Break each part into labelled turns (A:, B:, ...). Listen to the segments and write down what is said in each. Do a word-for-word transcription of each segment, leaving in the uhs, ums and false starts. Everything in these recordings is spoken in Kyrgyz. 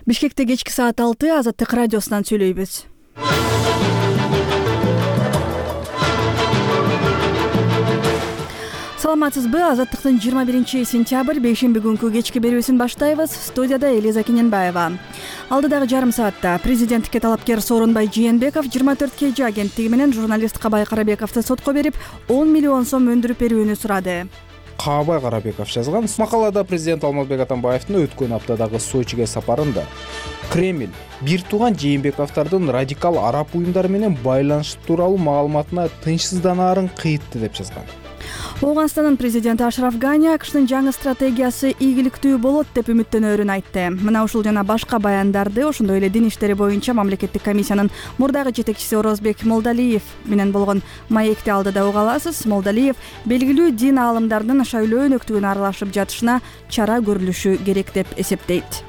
A: Бишкекте кечки саат алты Азаттык радиосунан сүйлөйбүз. Саламатсызбы? Азаттыктын жыйырма биринчи сентябрь бейшемби күнкү кечки берүүсүн баштайбыз. Студияда Элиза Кененбаева. Алдыдагы жарым саатта президенттикке талапкер Сооронбай Жээнбеков жыйырма төрт кей жи агенттиги менен журналист Кабай Карабековду сотко берип, он миллион сом өндүрүп берүүнү сурады.
B: Кабай Карабеков жазган макалада президент Алмазбек Атамбаевдин өткөн аптадагы Сочиге сапарында Кремль бир тууган Жээнбековдордун радикал араб уюмдары менен байланышы тууралуу маалыматына тынчсызданаарын кыйтты деп жазган.
A: Ооганстандын президенти Ашраф Гани АКШтын жаңы стратегиясы ийгиликтүү болот деп үмүттөнөөрүн айтты. Мына ушул жана башка баяндарды ошондой эле дин иштери боюнча мамлекеттик комиссиянын мурдагы жетекчиси Орозбек Молдалиев менен болгон маекти алдыда уга аласыз. Молдалиев белгилүү дин аалымдарынын шайлоо өнөктүгүнө аралашып жатышына чара көрүлүшү керек деп эсептейт.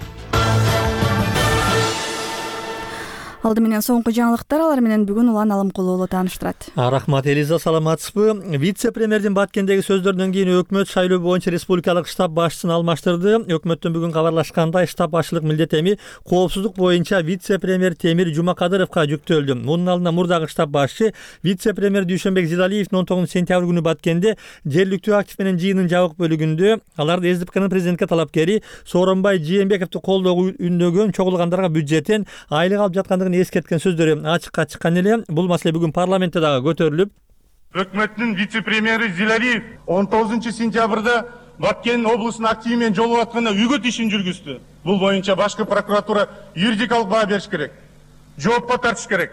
A: Алды менен соңку жаңылыктар, алар менен бүгүн Улан Алымкулуу тааныштырат.
C: Рахмат Элиза, саламатсызбы? Вице-премьердин Баткендеги сөздөрүнөн кийин өкмөт шайлоо боюнча республикалык штаб башчысын алмаштырды. Өкмөттөн бүгүн кабарлашкандай, штаб башчылык милдет эми коопсуздук боюнча вице-премьер Темир Жумакадыровго жүктөлдү. Мунун алдында мурдагы штаб башчы вице-премьер Дүйшөнбек Зилалиевдин он тогузунчу сентябрь күнү Баткенде жергиликтүү актив менен жыйынын жабык бөлүгүндө аларды СДПКнын президентке талапкери Сооронбай Жээнбековду колдоого үндөгөн чогулгандарга бюджеттен айлык алып жаткандыгын эскерткен сөздөрү ачыкка чыккан эле. Бул маселе бүгүн парламентте дагы көтөрүлүп,
D: өкмөттүн вице-премьери Зилалиев он тогузунчу сентябрда Баткен облусунун активи менен жолугуп атканда үгөт ишин жүргүздү. Бул боюнча башкы прокуратура юридикалык баа бериш керек, жоопко тартыш керек.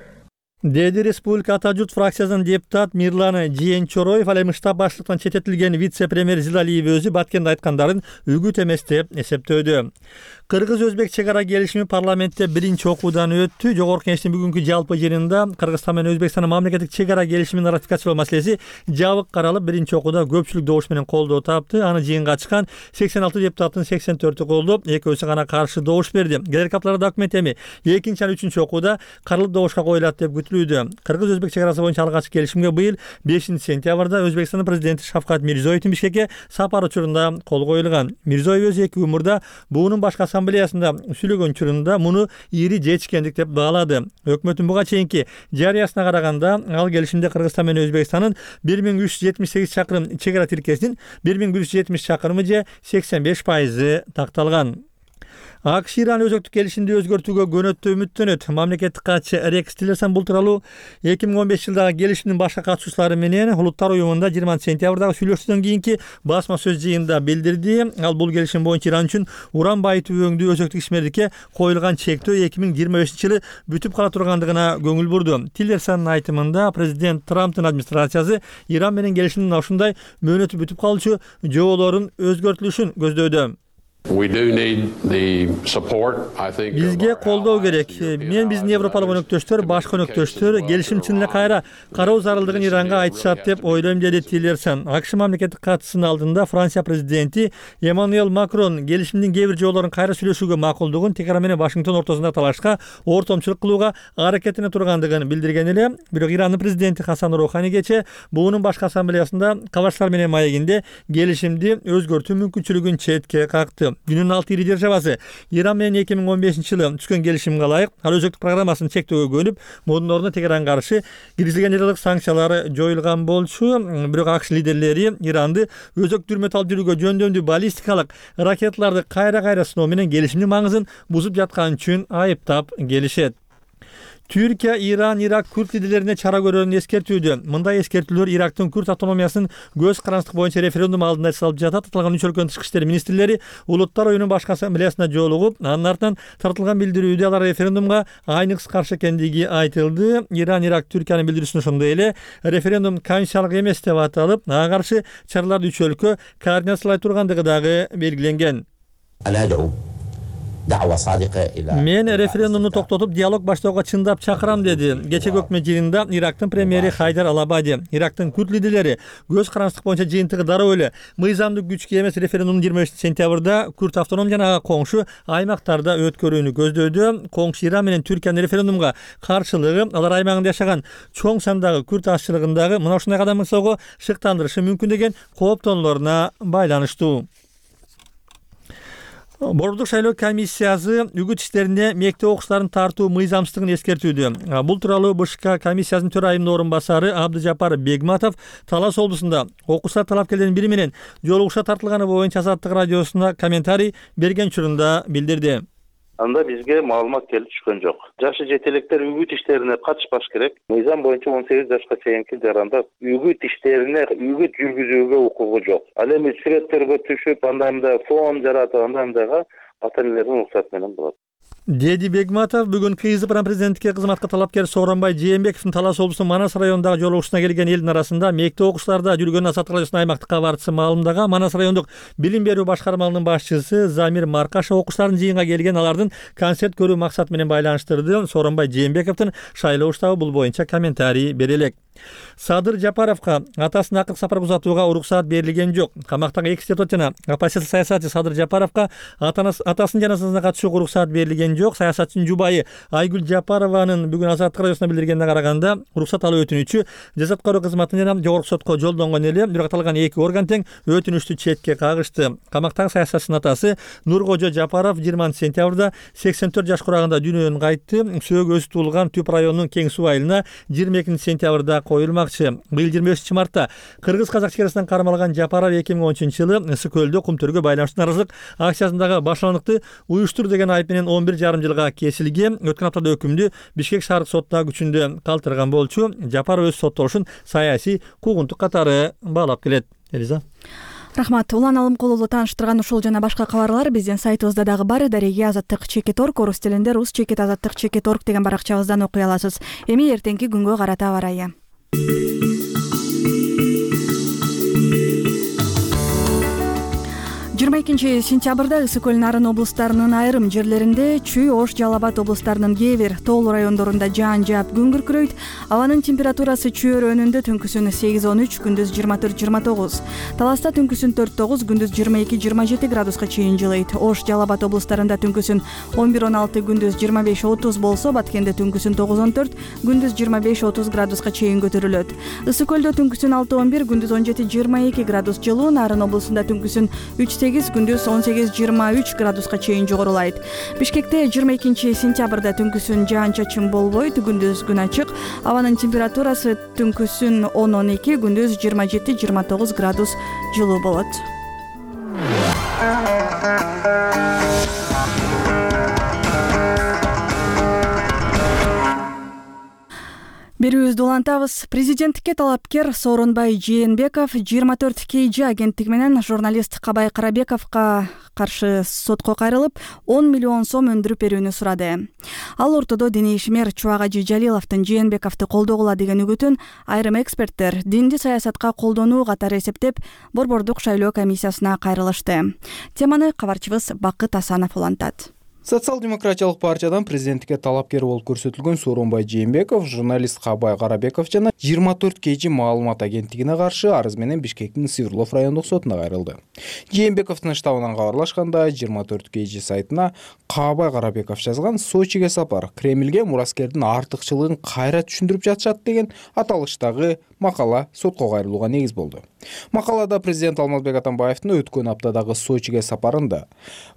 C: Деди Республика Ата журт фракциясынын депутат Мирлан Жээнчороев. Ал эми штаб баштыктан чечетилген вице-премьер Зилалиев өзү Баткенде айткандарын үгүт эмес деп эсептөөдү. Кыргыз-Өзбек чек ара келишими парламентте биринчи окуудан өттү. Жогорку Кеңештин бүгүнкү жалпы жыйынында Кыргызстан менен Өзбекстандын мамлекеттик чек ара келишимин ратификациялоо маселеси жабык каралып, биринчи окууда көпчүлүк добуш менен колдоо тапты. Аны жыйынга чыккан сексен алты депутаттын сексен төртү колдоп, экөөсү гана каршы добуш берди. Келерки апталарда документ эми экинчи жана үчүнчү окууда каралып добушка коюлат деп күтүлүүдө. Кыргыз-Өзбек чек арасы боюнча алгачкы келишимге быйыл бешинчи сентябрда Өзбекстандын президенти Шавкат Мирзиёевдин Бишкекке сапары учурунда кол коюлган. Мирзиёев өзү эки күн мурда буунун башкы ассамблеясында сүйлөгөн учурунда муну ири жетишкендик деп баалады. Өкмөттүн буга чейинки жарыясына караганда, ал келишимде Кыргызстан менен Өзбекстандын бир миң үч жүз жетимиш сегиз чакырым чек ара тилкесинин бир миң бир жүз жетимиш чакырымы же сексен беш пайызы такталган. АКШ Иран өзөктүк келишимди өзгөртүүгө көнөттү үмүттөнөт. Мамлекеттик катчы Рекс Тиллерсон бул тууралуу эки миң он беш жылдагы келишимдин башка катышуучулары менен Улуттар уюмунда жыйырманчы сентябрдагы сүйлөшүүдөн кийинки басма сөз жыйынында билдирди. Ал бул келишим боюнча Иран үчүн уран байытуу өңдүү өзөктүк ишмердикке коюлган чектөө эки миң жыйырма бешинчи жылы бүтүп кала тургандыгына көңүл бурду. Тиллерсондун айтымында президент Трамптын администрациясы Иран менен келишимдин ушундай мөөнөтү бүтүп калуучу жоболорун өзгөртүлүшүн көздөдө. Бизге колдоо керек. Мен биздин европалык өнөктөштөр, башка өнөктөштөр келишим чын эле кайра кароо зарылдыгын Иранга айтышат деп ойлойм, деди Тиллерсон. АКШ мамлекеттик катчысынын алдында Франция президенти Эммануэль Макрон келишимдин кээ бир жоболорун кайра сүйлөшүүгө макулдугун Техран менен Вашингтон ортосунда талашка ортомчулук кылууга аракеттенип тургандыгын билдирген эле. Бирок Ирандын президенти Хасан Роухани кечээ буунун башкы ассамблеясында кабарчылар менен маегинде келишимди өзгөртүү мүмкүнчүлүгүн четке какты. Дүйнөнүн алты ири державасы Иран менен эки миң он бешинчи жылы түшкөн келишимге ылайык ал өзөктүк программасын чектөөгө көнүп, мунун ордуна Техранга каршы киргизилген элдик санкциялар жоюлган болчу. Бирок АКШ лидерлери Иранды өзөк дүрмөт алып жүрүүгө жөндөмдүү баллистикалык ракеталарды кайра-кайра сыноо менен келишимдин маңызын бузуп жаткан үчүн айыптап келишет. Түркия, Иран, Ирак күрд лидерлерине чара көрөрүн эскертүүдө. Мындай эскертүүлөр Ирактын күрд автономиясын көз карандык боюнча референдум алдында эске алып жатат. Аталган үч өлкөнүн тышкы иштер министрлери Улуттар уюмунун башкы ассамблеясына жолугуп, анын артынан тартылган билдирүүдө алар референдумга айныкс каршы экендиги айтылды. Иран, Ирак, Түркиянын билдирүүсүнө ошондой эле референдум конституциялык эмес деп аталып, ага каршы чараларды үч өлкө координациялай тургандыгы дагы белгиленген. Мен референдумду токтотуп диалог баштоого чындап чакырам, деди кечеги өкмөт жыйынында Ирактын премьери Хайдар Алабади. Ирактын күрд лидерлери көз карандык боюнча жыйынтыгы дароо эле мыйзамдык күчкө эмес референдумдун жыйырма бешинчи сентябрда күрд автоном жана ага коңшу аймактарда өткөрүүнү көздөдү. Коңшу Иран менен Түркиянын референдумга каршылыгы алар аймагында жашаган чоң сандагы күрд азчылыгындагы мына ушундай кадам жасоого шыктандырышы мүмкүн деген кооптонуулоруна байланыштуу. Борбордук шайлоо комиссиясы үгүт иштерине мектеп окуучуларын тартуу мыйзамсыздыгын эскертүүдө. Бул тууралуу БШК комиссиясынын төрайымынын орун басары Абдыжапар Бегматов Талас облусунда окуучулар талапкерлердин бири менен жолугушуу тартылганы боюнча Азаттык радиосуна комментарий берген учурунда билдирди.
E: Анда бизге маалымат келип түшкөн жок. Жашы жете электер үгүт иштерине катышпаш керек. Мыйзам боюнча он сегиз жашка чейинки жаранда үгүт иштерине үгүт жүргүзүүгө укугу жок. Ал эми сүрөттөргө түшүп, анда мындай фон жаратып, анда мындайга ата энелердин уруксаты менен болот.
C: Деди Бегматов бүгүн КСДПнын президенттикке кызматка талапкер Сооронбай Жээнбековдун Талас облусунун Манас районундагы жолугушууна келген элдин арасында мектеп окуучуларда жүргөн Азаттык радиосунун аймактык кабарчысы маалымдаган Манас райондук билим берүү башкармалыгынын башчысы Замир Маркашев окуучулардын жыйынга келген алардын концерт көрүү максаты менен байланыштырды. Сооронбай Жээнбековдун шайлоо штабы бул боюнча комментарий бере элек. Садыр Жапаровго атасына акыркы сапарга узатууга уруксаат берилген жок. Камактагы экс депутат жана оппозиция саясатчы Садыр Жапаровго атасынын жаназасына катышууга уруксаат берилген жок. Саясатчынын жубайы Айгүл Жапарованын бүгүн Азаттык радиосуна билдиргенине караганда, уруксат алуу өтүнүчү жаза аткаруу кызматына жана жогорку сотко жолдонгон эле, бирок аталган эки орган тең өтүнүчтү четке кагышты. Камактагы саясатчынын атасы Нуркожо Жапаров жыйырманчы сентябрда сексен төрт жаш курагында дүйнөдөн кайтты. Сөөгү өзү туулган Түп районунун Кең суу айылына жыйырма экинчи сентябрда коюлмакчы. Быйыл жыйырма бешинчи мартта кыргыз-казак чекарасынан кармалган Жапаров эки миң он үчүнчү жылы Ысык көлдө кум төргө байланыштуу нааразылык акциясындагы башландыкты уюштур деген айып менен он бир жарым жылга кесилген. Өткөн аптада өкүмдү Бишкек шаардык сотуна күчүндө калтырган болчу. Жапаров өз соттолушун саясий куугунтук катары баалап келет. Элиза.
A: Рахмат. Улан Алымкулуулу тааныштырган ушул жана башка кабарлар биздин сайтыбызда дагы бар. Дареги азаттык чекит орг, орус тилинде рус чекит азаттык чекит орг деген баракчабыздан окуй аласыз. Эми эртеңки күнгө карата аба ырайы. жыйырма экинчи сентябрда Ысык көл Нарын облустарынын айрым жерлеринде, Чүй, Ош, Жалал Абад облустарынын кээ бир тоолуу райондорунда жаан жаап күн күркүрөйт. Абанын температурасы Чүй өрөөнүндө түнкүсүн сегиз он үч, күндүз жыйырма төрт жыйырма тогуз. Таласта түнкүсүн төрт тогуз, күндүз жыйырма эки жыйырма жети градуска чейин жылыйт. Ош, Жалал Абад облустарында түнкүсүн он бир он алты, күндүз жыйырма беш отуз болсо, Баткенде түнкүсүн тогуз он төрт, күндүз жыйырма беш отуз градуска чейин көтөрүлөт. Ысык көлдө түнкүсүн алты он бир, күндүз он жети жыйырма эки градус жылуу. Нарын облусунда түнкүсүн үч сегиз, күндүз он сегиз жыйырма үч градуска чейин жогорулайт. Бишкекте жыйырма экинчи сентябрда түнкүсүн жаан-чачын болбойт, күндүз күн ачык. Абанын температурасы түнкүсүн он он эки, күндүз жыйырма жети жыйырма тогуз градус жылуу болот. Берүүбүздү улантабыз. Президенттикке талапкер Сооронбай Жээнбеков жыйырма төрт кей жи агенттиги менен журналист Кабай Карабековго каршы сотко кайрылып, он миллион сом өндүрүп берүүнү сурады. Ал ортодо диний ишмер Чубагажы Жалиловдун Жээнбековду колдогула деген үгүтүн айрым эксперттер динди саясатка колдонуу катары эсептеп, Борбордук шайлоо комиссиясына кайрылышты. Теманы кабарчыбыз Бакыт Асанов улантат.
B: Социал-демократиялык партиядан президенттикке талапкер болуп көрсөтүлгөн Сооронбай Жээнбеков, журналист Кабай Карабеков жана жыйырма төрт кей жи маалымат агенттигине каршы арыз менен Бишкектин Сыйырлов райондук сотуна кайрылды. Жээнбековдун штабынан кабарлашканда, жыйырма төрт кей жи сайтына Кабай Карабеков жазган «Сочиге сапар Кремльге мураскердин артыкчылыгын кайра түшүндүрүп жатышат» деген аталыштагы макала сотко кайрылууга негиз болду. Макалада президент Алмазбек Атамбаевдин өткөн аптадагы Сочиге сапарында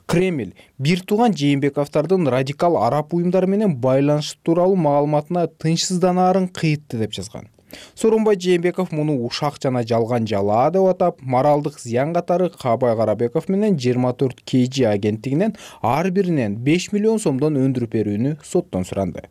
B: Кремль бир тууган Жээнбековдордун радикал араб уюмдары менен байланышы тууралуу маалыматына тынчсызданаарын кыйтты деп жазган. Сооронбай Жээнбеков муну ушак жана жалган жалаа деп атап, моралдык зыян катары Кабай Карабеков менен жыйырма төрт кей жи агенттигинен ар биринен беш миллион сомдон өндүрүп берүүнү соттон суранды.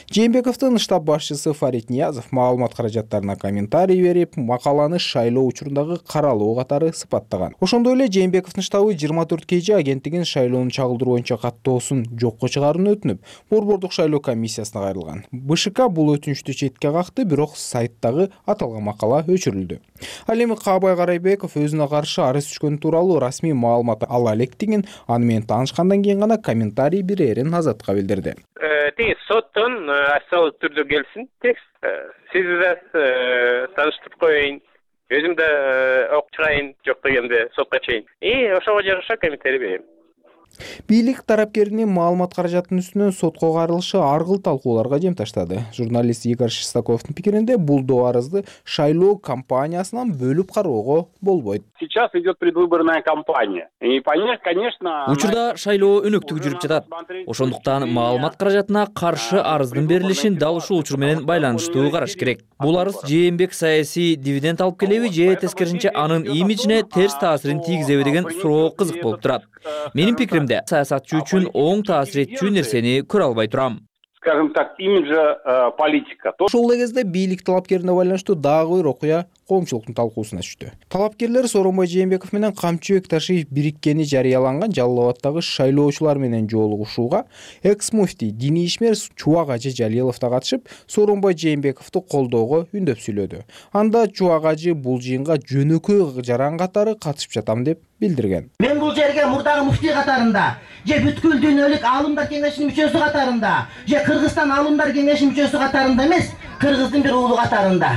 B: Жээнбековдун штаб башчысы Фарид Ниязов маалымат каражаттарына комментарий берип, макаланы шайлоо учурундагы каралуу катары сыпаттаган. Ошондой эле Жээнбековдун штабы жыйырма төрт кей жи агенттигин шайлоону чагылдыруу боюнча каттоосун жокко чыгарууну өтүнүп, Борбордук шайлоо комиссиясына кайрылган. БШК бул өтүнүчтү четке какты, бирок сайт дагы аталган макала өчүрүлдү. Ал эми Кабай Карабеков өзүнө каршы арыз түшкөн тууралуу расмий маалымат ала электигин, аны менен таанышкандан кийин гана комментарий берерин Азатка билдирди.
F: Тиги соттон официалдуу түрдө келсин текст. Сизди да тааныштырып коеюн. Өзүм да окуп чыгайын, жок дегенде сотко чейин. И ошого жараша комментарий берем.
B: Бийлик тарапкеринин маалымат каражатынын үстүнөн сотко кайрылышы ар кыл талкууларга жем таштады. Журналист Игорь Шестаковдун пикиринде бул доо арызды шайлоо кампаниясынан бөлүп кароого болбойт.
G: Сейчас идет предвыборная кампания. И понять, конечно,
H: учурда шайлоо өнөктүгү жүрүп жатат. Ошондуктан маалымат каражатына каршы арыздын берилишин дал ушул учур менен байланыштуу караш керек. Бул арыз Жээнбек саясий дивиденд алып келеби же тескерисинче анын имиджине терс таасирин тийгизеби деген суроо кызык болуп турат. Менин пикиримде, саясатчы үчүн оң таасир этчү нерсени көрө албай турам.
G: Скажем так, имиджа э, политика.
B: Ошол эле кезде бийлик талапкерине байланыштуу дагы бир окуя коомчулуктун талкуусуна түштү. Талапкерлер Сооронбай Жээнбеков менен Камчыбек Ташиев бириккени жарыяланган Жалал Абаддагы шайлоочулар менен жолугушууга экс-муфтий диний ишмер Чубак Ажы Жалилов да катышып, Сооронбай Жээнбековду колдоого үндөп сүйлөдү. Анда Чубак Ажы бул жыйынга жөнөкөй жаран катары катышып жатам деп билдирген.
I: Мен бул жерге мурдагы муфтий катарында, же бүткүл дүйнөлүк аалымдар кеңешинин мүчөсү катарында, же Кыргызстан аалымдар кеңешинин мүчөсү катарында эмес, кыргыздын бир уулу катарында,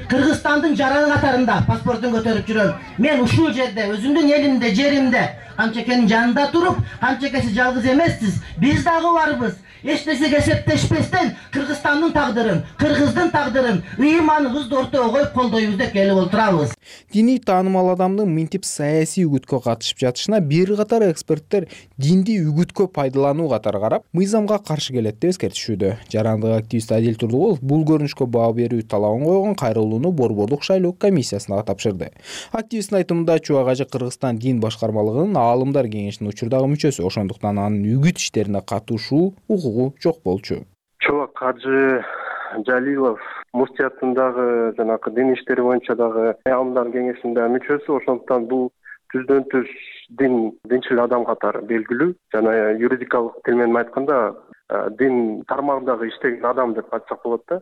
I: Кыргызстандын жараны катарында паспортун көтөрүп жүрөм. Мен ушул жерде, өзүмдүн элимде, жеримде, Камчекенин жанында туруп, Камчекеси жалгыз эмессиз, биз дагы барбыз. Эч нерсеге эсептешпестен Кыргызстандын тагдырын, Кыргыздын тагдырын, ыйманыбызды ортого коюп колдойбуз деп келип отурабыз.
B: Диний таанымал адамдын мынтип саясий үгүткө катышып жатышына бир катар эксперттер динди үгүткө пайдалануу катары карап, мыйзамга каршы келет деп эскертишүүдө. Жарандык активист Адил Турдугулов бул көрүнүшкө баа берүү талабын койгон кайрылууну Борбордук шайлоо комиссиясына тапшырды. Активисттин айтымында Чубак Ажы Кыргызстан дин башкармалыгынын аалымдар кеңешинин учурдагы мүчөсү, ошондуктан анын үгүт иштерине катышуу укугу жок болчу.
J: Чубак Ажы Жалилов муфтиятындагы жанагы дин иштери боюнча дагы аалымдар кеңешинде мүчөсү, ошондуктан бул түздөн түз дин динчил адам катары белгилүү. Жана юридикалык тил менен айтканда дин тармагындагы иштеген адам деп айтсак болот да.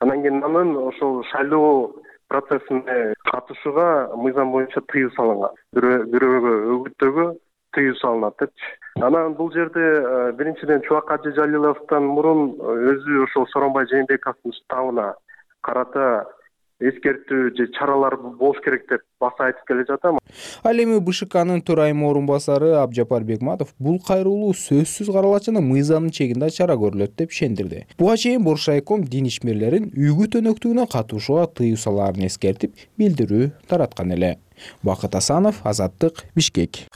J: Анан кийин анын ошол шайлоо процессине катышууга мыйзам боюнча тыюу салынган. Бирөөгө өгүттөөгө тыюу салынат депчи. Анан бул жерде биринчиден Чубак Ажы Жалиловдон мурун өзү ошол Сооронбай Жээнбековдун уставына карата эскертүү же чаралар болуш керек деп баса айтып келе жатам.
B: Ал эми БШКнын төрайымы орун басары Абжапар Бегматов бул кайрылуу сөзсүз каралат жана мыйзамдын чегинде чара көрүлөт деп ишендирди. Буга чейин Бош райком дин ишмерлерин үгүт өнөктүгүнө катышууга тыюу салаарын эскертип, билдирүү тараткан эле. Бакыт Асанов, Азаттык, Бишкек.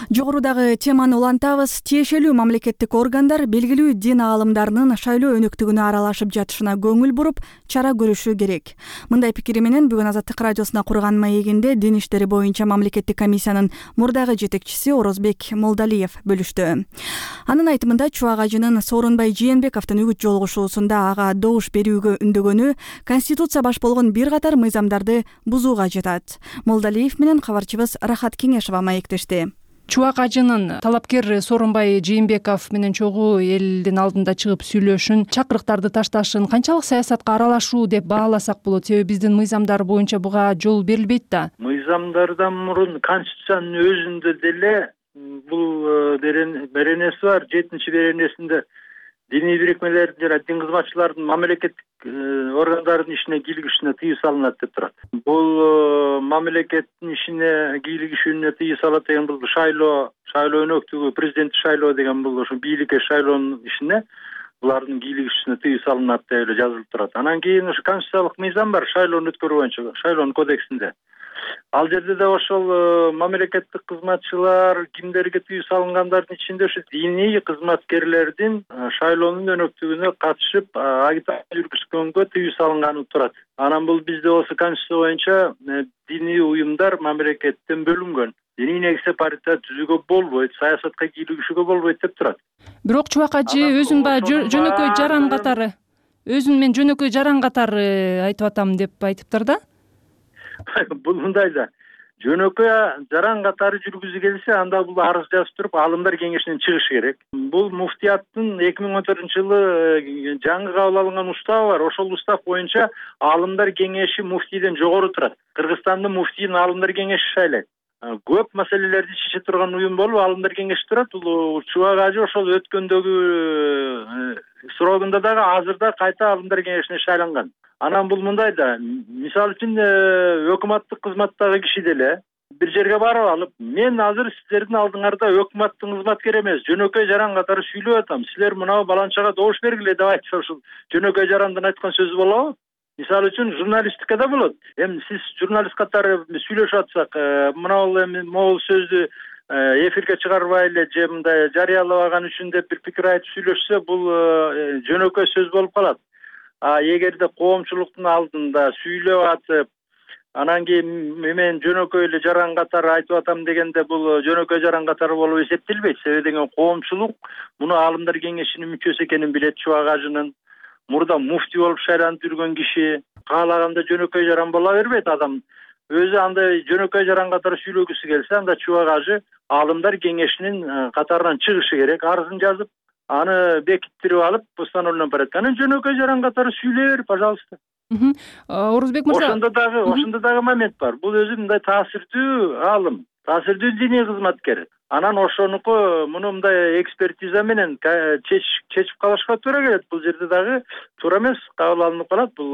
A: Жогорудагы теманы улантабыз. Тиешелүү мамлекеттик органдар белгилүү дин аалымдарынын шайлоо өнөктүгүнө аралашып жатышына көңүл буруп, чара көрүшү керек. Мындай пикири менен бүгүн Азаттык радиосуна курган маегинде дин иштери боюнча мамлекеттик комиссиянын мурдагы жетекчиси Орозбек Молдалиев бөлүштү. Анын айтымында Чубак Ажынын Сооронбай Жээнбековдун үгүт жолугушуусунда ага добуш берүүгө үндөгөнү Конституция баш болгон бир катар мыйзамдарды бузууга жатат. Молдалиев менен кабарчыбыз Рахат Кеңешова маектешти.
K: Чубак Ажынын талапкер Сооронбай Жээнбеков менен чогуу элдин алдында чыгып сүйлөшүн, чакырыктарды ташташын канчалык саясатка аралашуу деп бааласак болот? Себеби биздин мыйзамдар боюнча буга жол берилбейт да.
L: Мыйзамдардан мурун Конституциянын өзүндө деле бул беренеси бар. жетинчи беренесинде диний бирикмелердин жана дин кызматчылардын мамлекеттик органдардын ишине кийлигишине тыюу салынат деп турат. Бул мамлекеттин ишине кийлигишүүнү тыюу салат деген бул шайлоо, шайлоо өнөктүгү, президенттик шайлоо деген бул ошо бийликке шайлоонун ишине булардын кийлигишине тыюу салынат деп эле жазылып турат. Анан кийин ошо конституциялык мыйзам бар шайлоону өткөрүү боюнча, шайлоонун кодексинде. Ал жерде да ошол мамлекеттик кызматчылар кимдерге тыюу салынгандардын ичинде ошо диний кызматкерлердин шайлоонун өнөктүгүнө катышып агитация жүргүзгөнгө тыюу салынганы турат. Анан бул бизде болсо конституция боюнча диний уюмдар мамлекеттен бөлүнгөн. Диний негизде партия түзүүгө болбойт, саясатка кийлигишүүгө болбойт деп турат.
K: Бирок Чубак Ажы өзүн баягы жөнөкөй жаран катары, өзүн мен жөнөкөй жаран катары айтып атам деп айтыптыр да.
L: Бул мындай да. Жөнөкөй жаран катары жүргүзүп келсе, анда бул арыз жазып туруп, аалымдар кеңешинен чыгыш керек. Бул муфтияттын эки миң он төртүнчү жылы жаңы кабыл алынган уставы бар. Ошол устав боюнча аалымдар кеңеши муфтийден жогору турат. Кыргызстандын муфтийин аалымдар кеңеши шайлайт. көп маселелерди чече турган уюм болуп Аалымдар кеңеши турат. Бул Чубак ажы ошол өткөндөгү срогунда дагы азырда кайта Аалымдар кеңешине шайланган. Анан бул мындай да, мисалы үчүн өкмөттүк кызматтагы киши деле бир жерге барып алып, мен азыр силердин алдыңарда өкмөттүн кызматкери эмес, жөнөкөй жаран катары сүйлөп атам. Силер мынау баланчага добуш бергиле деп айтса, ушул жөнөкөй жарандын айткан сөзү болобу? Мисалы үчүн журналистикада болот. Эми сиз журналист катары сүйлөшүп атсак, мынау эми могул сөздү эфирге чыгарбай эле же мындай жарыялабаган үчүн деп бир пикир айтып сүйлөшсө, бул жөнөкөй сөз болуп калат. А эгерде коомчулуктун алдында сүйлөп атып, анан кийин мен жөнөкөй эле жаран катары айтып атам дегенде, бул жөнөкөй жаран катары болуп эсептелбейт. Себеби деген коомчулук муну Аалымдар кеңешинин мүчөсү экенин билет. Чубак ажынын мурда муфти болуп шайланып жүргөн киши каалаганда жөнөкөй жаран боло бербейт. Адам өзү андай жөнөкөй жаран катары сүйлөгүсү келсе, анда Чубак ажы Аалымдар кеңешинин катарынан чыгышы керек, арызын жазып, аны бекиттирип алып, постановлением порядка. Анан жөнөкөй жаран катары сүйлөй бер, пожалуйста.
K: Орузбек мырза,
L: ошондо дагы ошондо дагы момент бар. Бул өзү мындай таасирдүү аалым, таасирдүү диний кызматкер. Анан ошонуку муну мындай экспертиза менен чечип калышка туура келет. Бул жерде дагы туура эмес кабыл алынып калат. Бул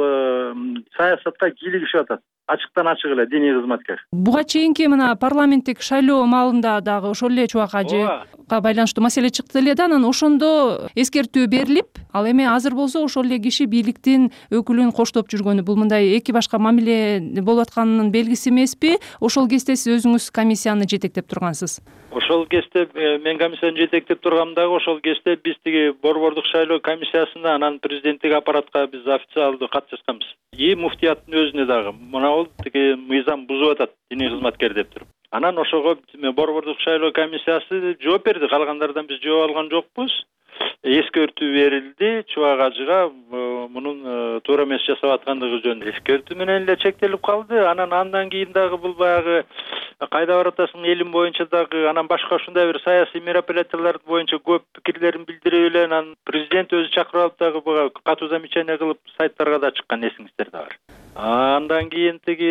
L: саясатка кийлигишип атат. Ачыктан ачык эле диний кызматкер.
K: Буга чейинки мына парламенттик шайлоо маалында дагы ошол эле Чубак ажыга байланыштуу маселе чыкты эле да, анан ошондо эскертүү берилип, ал эми азыр болсо ошол эле киши бийликтин өкүлүн коштоп жүргөнү, бул мындай эки башка мамиле болуп атканынын белгиси эмеспи? Ошол кезде сиз өзүңүз комиссияны жетектеп тургансыз.
L: Ошол кезде мен комиссияны жетектеп тургам дагы ошол кезде биз тиги борбордук шайлоо комиссиясына, анан президенттик аппаратка биз официалдуу кат жазганбыз. И муфтияттын өзүнө дагы мына бул тиги мыйзам бузуп атат диний кызматкер деп туруп. Анан ошого борбордук шайлоо комиссиясы жооп берди. Калгандардан биз жооп алган жокпуз. Эскертүү берилди Чубак ажыга мунун туура эмес жасап аткандыгы жөнүндө. Эскертүү менен эле чектелип калды. Анан андан кийин дагы бул баягы кайда баратасың элим боюнча дагы, анан башка ушундай бир саясий мероприятиялар боюнча көп пикирлерин билдирип эле, анан президент өзү чакырып алып дагы буга катуу замечание кылып сайттарга да чыккан, эсиңиздерде бар. Андан кийин тиги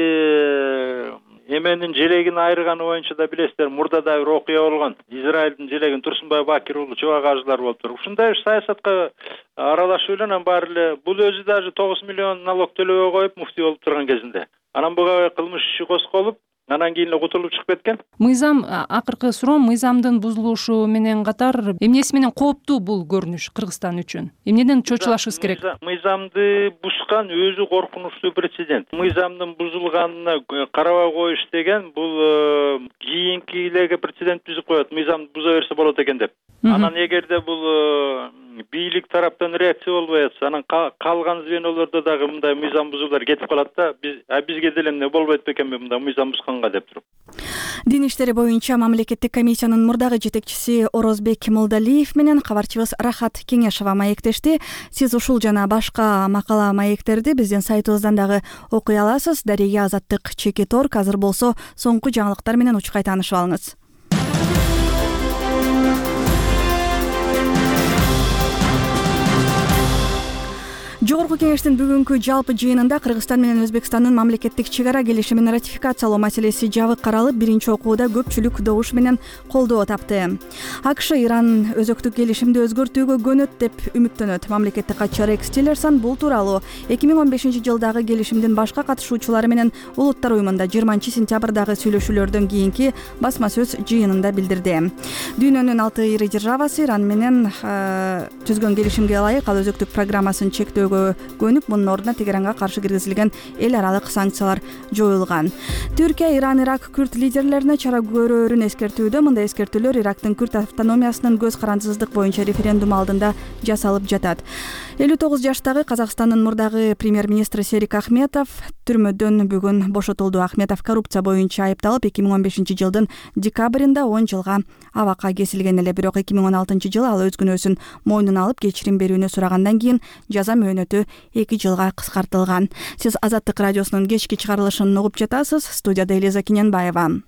L: эменин желегин айырганы боюнча да билесиздер, мурда да бир окуя болгон. Израилдин желегин Турсунбай Бакир уулу Чубак ажылар болуп туруп, ушундай саясатка аралашуу эле анан баары эле бул өзү даже тогуз миллион налог төлөбөй коюп муфти болуп турган кезинде. Анан буга кылмыш иши козголуп, анан кийин эле кутулуп чыгып кеткен.
K: Мыйзам, акыркы суроом, мыйзамдын бузулушу менен катар эмнеси менен кооптуу бул көрүнүш Кыргызстан үчүн? Эмнеден чочулашыбыз керек?
L: Мыйзамды бузган өзү коркунучтуу прецедент. Мыйзамдын бузулганына карабай коюш деген бул кийинкилерге прецедент түзүп коет. Мыйзамды буза берсе болот экен деп. Анан эгерде бул бийлик тараптан реакция болбой атса, анан калган звенолордо дагы мындай мыйзам бузуулар кетип калат да, биз а бизге деле эмне болбойт бекенби мындай мыйзам бузганга деп туруп.
A: Дин иштери боюнча мамлекеттик комиссиянын мурдагы жетекчиси Орозбек Молдалиев менен кабарчыбыз Рахат Кеңешова маектешти. Сиз ушул жана башка макала маектерди биздин сайтыбыздан дагы окуй аласыз. Дария, Азаттык, Чекит орг. Азыр болсо соңку жаңылыктар менен учкай таанышып алыңыз. Жогорку кеңештин бүгүнкү жалпы жыйынында Кыргызстан менен Өзбекстандын мамлекеттик чек ара келишимин ратификациялоо маселеси жабык каралып, биринчи окууда көпчүлүк добуш менен колдоо тапты. АКШ Иран өзөктүк келишимди өзгөртүүгө көнөт деп үмүттөнөт. Мамлекеттик катчы Рекс Тиллерсон бул тууралуу эки миң он бешинчи жылдагы келишимдин башка катышуучулары менен Улуттар уюмунда жыйырманчы сентябрдагы сүйлөшүүлөрдөн кийинки басма сөз жыйынында билдирди. Дүйнөнүн алты ири державасы Иран менен түзгөн келишимге ылайык ал өзөктүк программасын чектөөгө көнүп, мунун ордуна Тегеранга каршы киргизилген эл аралык санкциялар жоюлган. Түркия Иран, Ирак, Күрд лидерлерине чара көрөөрүн эскертүүдө. Мындай эскертүүлөр Ирактын Күрд автономиясынын көз карандысыздык боюнча референдум алдында жасалып жатат. элүү тогуз жаштагы Казакстандын мурдагы премьер-министри Серик Ахметов түрмөдөн бүгүн бошотулду. Ахметов коррупция боюнча айыпталып, эки миң он бешинчи жылдын декабрында он жылга абакка кесилген эле. Бирок эки миң он алтынчы жылы ал өз күнөөсүн мойнуна алып, кечирим берүүнү сурагандан кийин жаза мөөнөтү эки жылга кыскартылган. Сиз Азаттык радиосунун кечки чыгарылышын угуп жатасыз. Студияда Элиза Киненбаева.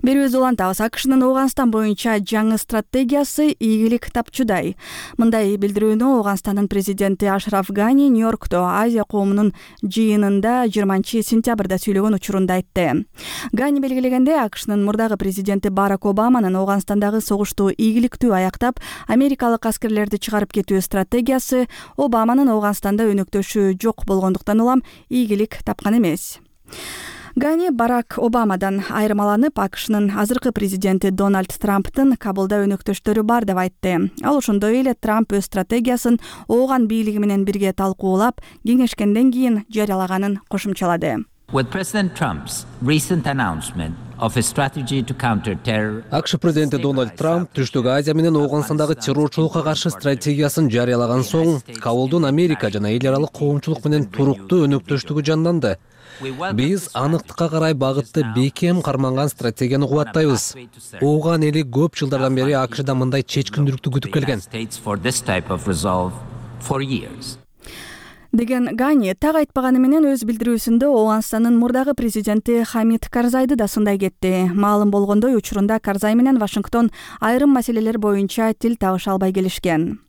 A: Берүүбүздү улантабыз. АКШнын Ооганстан боюнча жаңы стратегиясы ийгилик тапчудай. Мындай билдирүүнү Ооганстандын президенти Ашраф Гани Нью-Йоркто Азия коомунун жыйынында жыйырманчы сентябрда сүйлөгөн учурунда айтты. Гани белгилегенде, АКШнын мурдагы президенти Барак Обаманын Ооганстандагы согушту ийгиликтүү аяктап, америкалык аскерлерди чыгарып кетүү стратегиясы Обаманын Ооганстанда өнөктөшү жок болгондуктан улам ийгилик тапкан эмес. Гани Барак Обамадан айырмаланып, АКШнын азыркы президенти Дональд Трамптын Кабулда өнөктөштөрү бар деп айтты. Ал ошондой эле Трамп өз стратегиясын ооган бийлиги менен бирге талкуулап, кеңешкенден кийин жарыялаганын кошумчалады.
M: With President Trump's recent announcement of a strategy to counter terror,
N: АКШ президенти Дональд Трамп Түштүк Азия менен Ооганстандагы террорчулукка каршы стратегиясын жарыялаган соң, Кабулдун Америка жана эл аралык коомчулук менен туруктуу өнөктөштүгү жанданды. Биз аныктыкка карай багытты бекем карманган стратегияны кубаттайбыз. Ооган эли көп жылдардан бери АКШда мындай чечкиндүүлүктү күтүп келген.
A: Деген Гани так айтпаганы менен өз билдирүүсүндө Ооганстандын мурдагы президенти Хамид Карзайды да сындай кетти. Маалым болгондой, учурунда Карзай менен Вашингтон айрым маселелер боюнча тил табыша албай келишкен.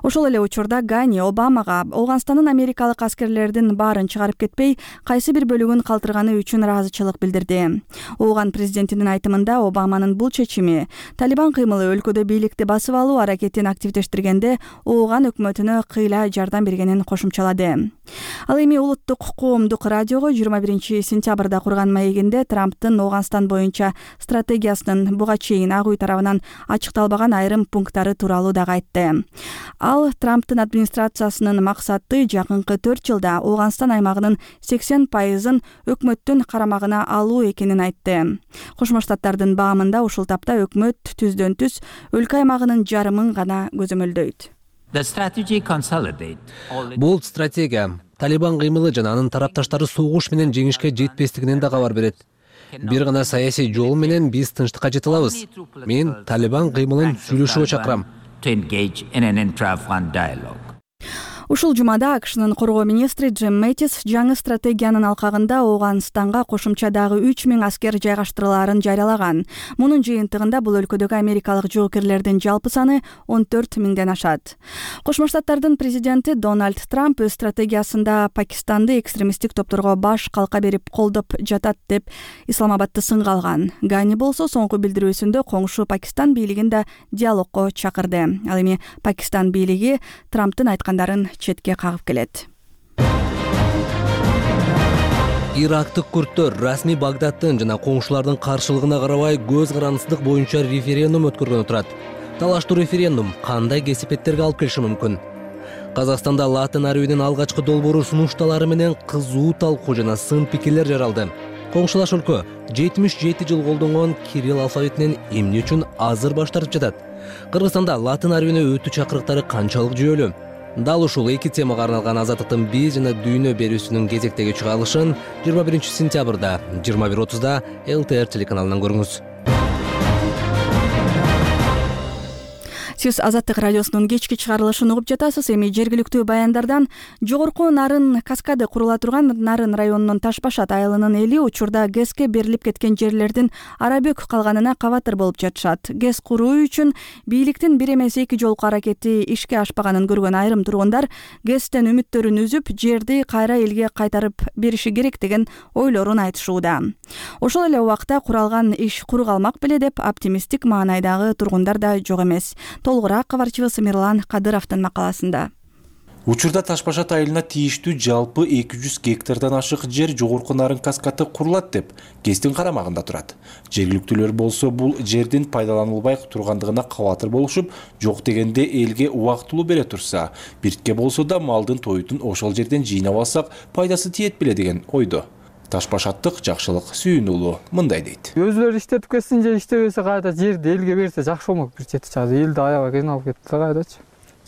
A: Ошол эле учурда Гани Обамага Ооганстандын америкалык аскерлердин баарын чыгарып кетпей, кайсы бир бөлүгүн калтырганы үчүн ыраазычылык билдирди. Ооган президентинин айтымында, Обаманын бул чечими Талибан кыймылы өлкөдө бийликти басып алуу аракетин активдештиргенде Ооган өкмөтүнө кыйла жардам бергенин кошумчалады. Ал эми улуттук коомдук радиого жыйырма биринчи сентябрда курган маегинде Трамптын Ооганстан боюнча стратегиясынын буга чейин ак үй тарабынан ачыкталбаган айрым пункттары тууралуу дагы айтты. Ал Трамптын администрациясынын максаты жакынкы төрт жылда Ооганстан аймагынын сексен пайызын өкмөттүн карамагына алуу экенин айтты. Кошмо Штаттардын баамында ушул тапта өкмөт түздөн түз өлкө аймагынын жарымын гана көзөмөлдөйт.
N: Бул стратегия Талибан кыймылы жана анын тарапташтары согуш менен жеңишке жетпестигинен да кабар берет. Бир гана саясий жол менен биз тынчтыкка жете алабыз. Мен Талибан кыймылын сүйлөшүүгө чакырам.
M: To engage in an intra-Afghan dialogue.
A: Ушул жумада АКШнын коргоо министри Джим Мэттис жаңы стратегиянын алкагында Ооганстанга кошумча дагы үч миң аскер жайгаштырылаарын жарыялаган. Мунун жыйынтыгында бул өлкөдөгү америкалык жоокерлердин жалпы саны он төрт миңден ашат. Кошмо Штаттардын президенти Дональд Трамп өз стратегиясында Пакистанды экстремисттик топторго баш калка берип колдоп жатат деп Исламабадты сынга алган. Гани болсо соңку билдирүүсүндө коңшу Пакистан бийлигин да диалогко чакырды. Ал эми Пакистан бийлиги Трамптын айткандарын четке кагып келет.
N: Ирактык күрттөр расмий Багдадтын жана коңшулардын каршылыгына карабай көз карандысыздык боюнча референдум өткөргөнү турат. Талаштуу референдум кандай кесипеттерге алып келиши мүмкүн? Казакстанда латын арабинин алгачкы долбоору сунушталары менен кызуу талкуу жана сын пикирлер жаралды. Коңшулаш өлкө жетимиш жети жыл колдонгон кирилл алфавитинен эмне үчүн азыр баш тартып жатат? Кыргызстанда латын арабине өтүү чакырыктары канчалык жүйөлүү? Дал ушул эки темага арналган Азаттыктын биз жана дүйнө берүүсүнүн кезектеги чыгарылышын жыйырма биринчи сентябрда жыйырма бир отузда эл тэ эр телеканалынан көрүңүз.
A: Сиз Азаттык радиосунун кечки чыгарылышын угуп жатасыз. Эми жергиликтүү баяндардан жогорку Нарын каскады курула турган Нарын районунун Ташбашат айылынын эли учурда гэске берилип кеткен жерлердин арабөк калганына кабатыр болуп жатышат. гэс куруу үчүн бийликтин бир эмес эки жолку аракети ишке ашпаганын көргөн айрым тургундар гэстен үмүттөрүн үзүп, жерди кайра элге кайтарып бериши керек деген ойлорун айтышууда. Ошол эле убакта куралган иш куру калмак беле деп оптимисттик маанайдагы тургундар да жок эмес. Толугураак кабарчыбыз Мирлан Кадыровдун макаласында.
O: Учурда Ташбашат айылына тийиштүү жалпы эки жүз гектардан ашык жер жогорку Нарын каскаты курулат деп гэстин карамагында турат. Жергиликтүүлөр болсо бул жердин пайдаланылбай тургандыгына кабатыр болушуп, жок дегенде элге убактылуу бере турса, биртке болсо да малдын тоютун ошол жерден жыйнап алсак пайдасы тиет беле деген ойдо. Ташбашаттык Жакшылык Сүйүн уулу мындай дейт.
P: Өзүлөрү иштетип кетсин же иштебесе кайда жерди элге берсе жакшы болмок бир чети чагы. Элди аябай кыйналып кетти кайдачы.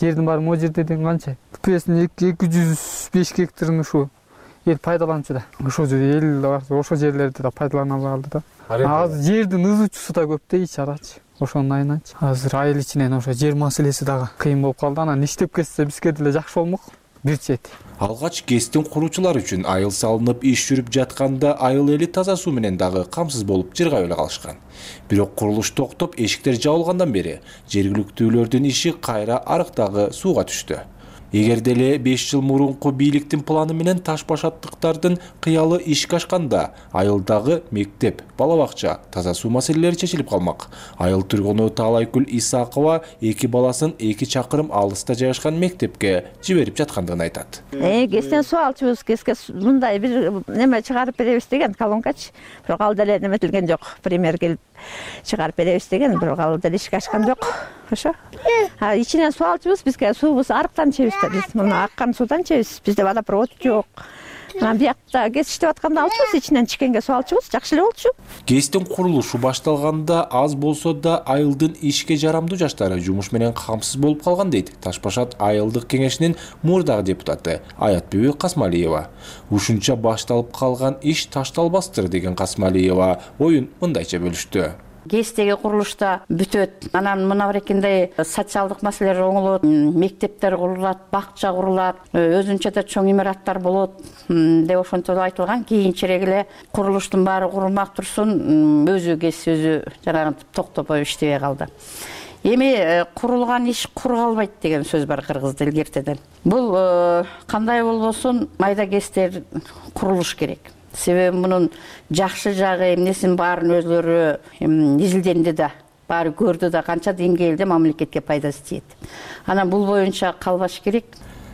P: Жердин баары могу жерде деген канча? Бүкөсүн эки жүз беш гектарын ушу эл пайдаланчу да. Ошол жер эл ошол жерлерди да пайдалана алды да. Азыр жердин ызуучусу да көп да ич арачы. Ошонун айынан азыр айыл ичинен ошо жер маселеси дагы кыйын болуп калды. Анан иштеп кетсе бизге деле жакшы болмок. бир чети.
O: Алгач гэстин куруучулар үчүн айыл салынып иш жүрүп жатканда айыл эли таза суу менен дагы камсыз болуп жыргап эле калышкан. Бирок курулуш токтоп эшиктер жабылгандан бери жергиликтүүлөрдүн иши кайра арыктагы сууга түштү. Эгер деле беш жыл мурунку бийликтин планы менен таш башаттыктардын кыялы ишке ашканда айылдагы мектеп, бала бакча, таза суу маселелери чечилип калмак. Айыл тургуну Таалайкүл Исакова эки баласын эки чакырым алыста жайгашкан мектепке жиберип жаткандыгын айтат.
Q: Э, гэстен суу алчубуз, гэске мындай бир неме чыгарып беребиз деген колонкачы. Бирок ал деле неметилген жок. Премьер келип чыгарып беребиз деген, бирок ал деле ишке ашкан жок. Ошо. А ичинен суу алчубуз, бизге суубуз арыктан чебиз да, биз муну аккан суудан чебиз. Бизде водопровод жок. Анан биякта гэс иштеп атканда алчубуз, ичинен чиккенге суу алчубуз, жакшы эле болчу.
O: Гэстин курулушу башталганда аз болсо да айылдын ишке жарамдуу жаштары жумуш менен камсыз болуп калган дейт Таш башат айылдык кеңешинин мурдагы депутаты Аятбүбү Касмалиева. Ушунча башталып калган иш ташталбастыр деген Касмалиева оюн мындайча бөлүштү.
R: гэстеги курулушта бүтөт. Анан мына берекинде социалдык маселелер оңолот, мектептер курулат, бакча курулат, өзүнчө да чоң имараттар болот деп ошентип айтылган. Кийинчерээк эле курулуштун баары курулмак турсун, өзү гэс өзү жанагынтип токтопой иштебей калды. Эми курулган иш кур калбайт деген сөз бар кыргыз тилинде эртеден. Бул кандай болбосун майда гэстер курулуш керек. Себеби мунун жакшы жагы, эмнесин баарын өзлөрү изилденди да, баары көрдү да, канча деңгээлде мамлекетке пайдасы тиет. Анан бул боюнча калбаш керек.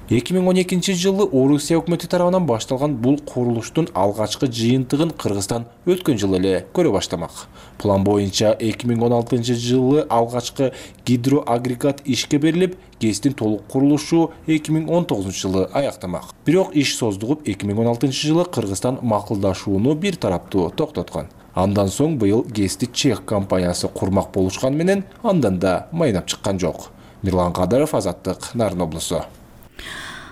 O: эки миң он экинчи жылы Орусия өкмөтү тарабынан башталган бул курулуштун алгачкы жыйынтыгын Кыргызстан өткөн жылы эле көрө баштамак. План боюнча эки миң он алтынчы жылы алгачкы гидроагрегат ишке берилип, гэстин толук курулушу эки миң он тогузунчу жылы аяктамак. Бирок иш создугуп эки миң он алтынчы жылы Кыргызстан макулдашууну бир тараптуу токтоткон. Андан соң быйыл гэсти чех компаниясы курмак болушкан менен андан да майнап чыккан жок. Мирлан Кадыров, Азаттык, Нарын облусу.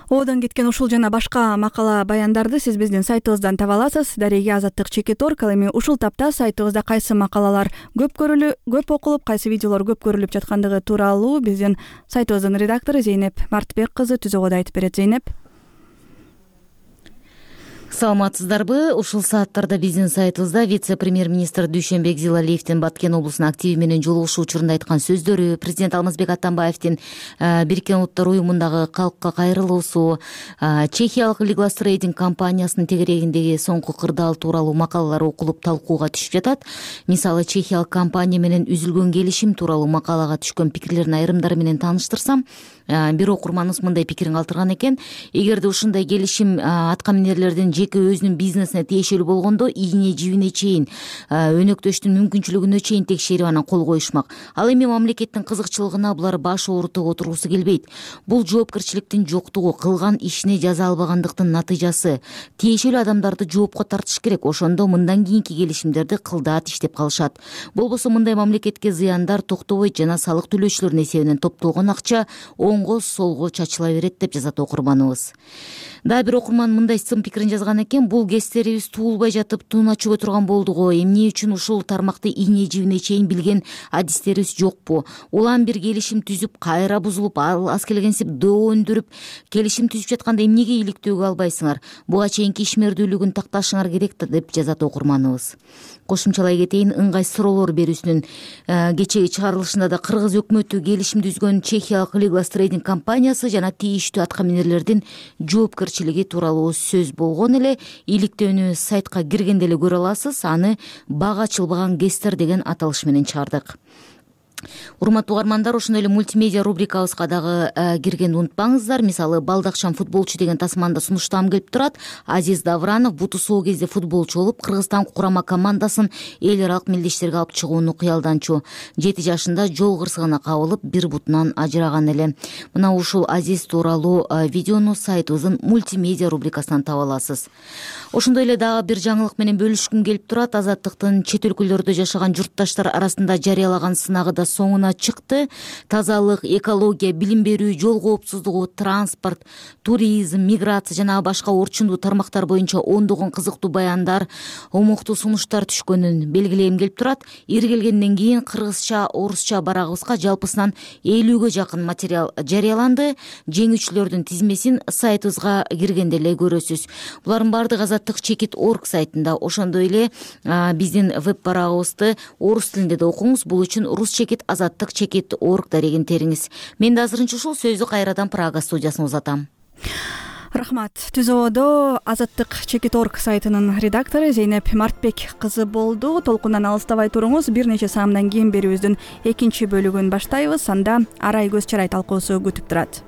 A: Оодон кеткен ушул жана башка макала баяндарды сиз биздин сайтыбыздан таба аласыз. Дареги Азаттык чекит точка орг. Ал эми ушул тапта сайтыбызда кайсы макалалар көп көрүлүп, көп окулуп, кайсы видеолор көп көрүлүп жаткандыгы тууралуу биздин сайтыбыздын редактору Зейнеп Мартбек кызы түзөгөдө айтып берет. Зейнеп.
S: Саламатсыздарбы? Ушул сааттарда биздин сайтыбызда вице-премьер-министр Дүйшөнбек Зилалиевдин Баткен облусунун активи менен жолугушуу учурунда айткан сөздөрү, президент Алмазбек Атамбаевдин Бириккен Улуттар уюмундагы калкка кайрылуусу, чехиялык Liglas Trading компаниясынын тегерегиндеги соңку кырдаал тууралуу макалалар окулуп талкууга түшүп жатат. Мисалы, чехиялык компания менен үзүлгөн келишим тууралуу макалага түшкөн пикирлердин айрымдары менен тааныштырсам, бир окурманыбыз мындай пикирин калтырган экен. Эгерде ушундай келишим атка минерлердин жеке өзүнүн бизнесине тиешелүү болгондо, ийне жибине чейин, өнөктөштүн мүмкүнчүлүгүнө чейин текшерип анан кол коюшмак. Ал эми мамлекеттин кызыкчылыгына булар баш оорутуп отургусу келбейт. Бул жоопкерчиликтин жоктугу, кылган ишине жаза албагандыктын натыйжасы. Тиешелүү адамдарды жоопко тартыш керек. Ошондо мындан кийинки келишимдерди кылдаат иштеп калышат. Болбосо мындай мамлекетке зыяндар токтобойт жана салык төлөөчүлөрдүн эсебинен топтолгон акча оңго солго чачыла берет деп жазат окурманыбыз. Дагы бир окурман мындай сын пикирин жазган экен. Бул гэстерибиз туулбай жатып туна чөгө турган болду го. Эмне үчүн ушул тармакты ийне жибине чейин билген адистерибиз жокпу? Улам бир келишим түзүп, кайра бузулуп, аз келгенсип доо өндүрүп, келишим түзүп жатканда эмнеге иликтөөгө албайсыңар? Буга чейинки ишмердүүлүгүн такташыңар керек да, деп жазат окурманыбыз. Кошумчалай кетейин, ыңгай суроолор берүүсүнүн кечеги чыгарылышында да Кыргыз өкмөтү келишим түзгөн чехиялык Liglas Trading компаниясы жана тийиштүү атка минерлердин жоопкерчилиги тууралуу сөз болгон эле. Иликтөөнү сайтка киргенде эле көрө аласыз. Аны бага ачылбаган гэстер деген аталыш менен чыгардык. Урматтуу угармандар, ошондой эле мультимедиа рубрикабызга дагы киргенди унутпаңыздар. Мисалы, балдакчан футболчу деген тасманда сунуштам келип турат. Азиз Давранов буту соо кезде футболчу болуп, Кыргызстан курама командасын эл аралык мелдештерге алып чыгууну кыялданчу. жети жашында жол кырсыгына кабылып, бир бутунан ажыраган эле. Мына ушул Азиз тууралуу видеону сайтыбыздын мультимедиа рубрикасынан таба аласыз. Ошондой эле дагы бир жаңылык менен бөлүшкүм келип турат. Азаттыктын чет өлкөлөрдө жашаган журтташтар арасында жарыялаган сынагы да соңуна чыкты. Тазалык, экология, билим берүү, жол коопсуздугу, транспорт, туризм, миграция жана башка орчундуу тармактар боюнча ондогон кызыктуу баяндар, омуктуу сунуштар түшкөнүн белгилегим келип турат. Иргелгенден кийин кыргызча, орусча барагыбызга жалпысынан элүүгө жакын материал жарыяланды. Жеңүүчүлөрдүн тизмесин сайтыбызга киргенде эле көрөсүз. Булардын баардыгы азаттык чекит точка орг сайтында. Ошондой эле биздин веб барагыбызды орус тилинде да окуңуз. Бул үчүн рус чекит азаттык чекит точка орг дарегин териңиз. Мен да азырынча ушул сөздү кайрадан Прага студиясына узатам.
A: Рахмат. Түзөөдө азаттык чекит точка орг сайтынын редактору Зейнеп Мартбек кызы болду. Толкундан алыстабай туруңуз. Бир нече саамдан кийин берүүбүздүн экинчи бөлүгүн баштайбыз. Анда арай көз чарай талкуусу күтүп турат.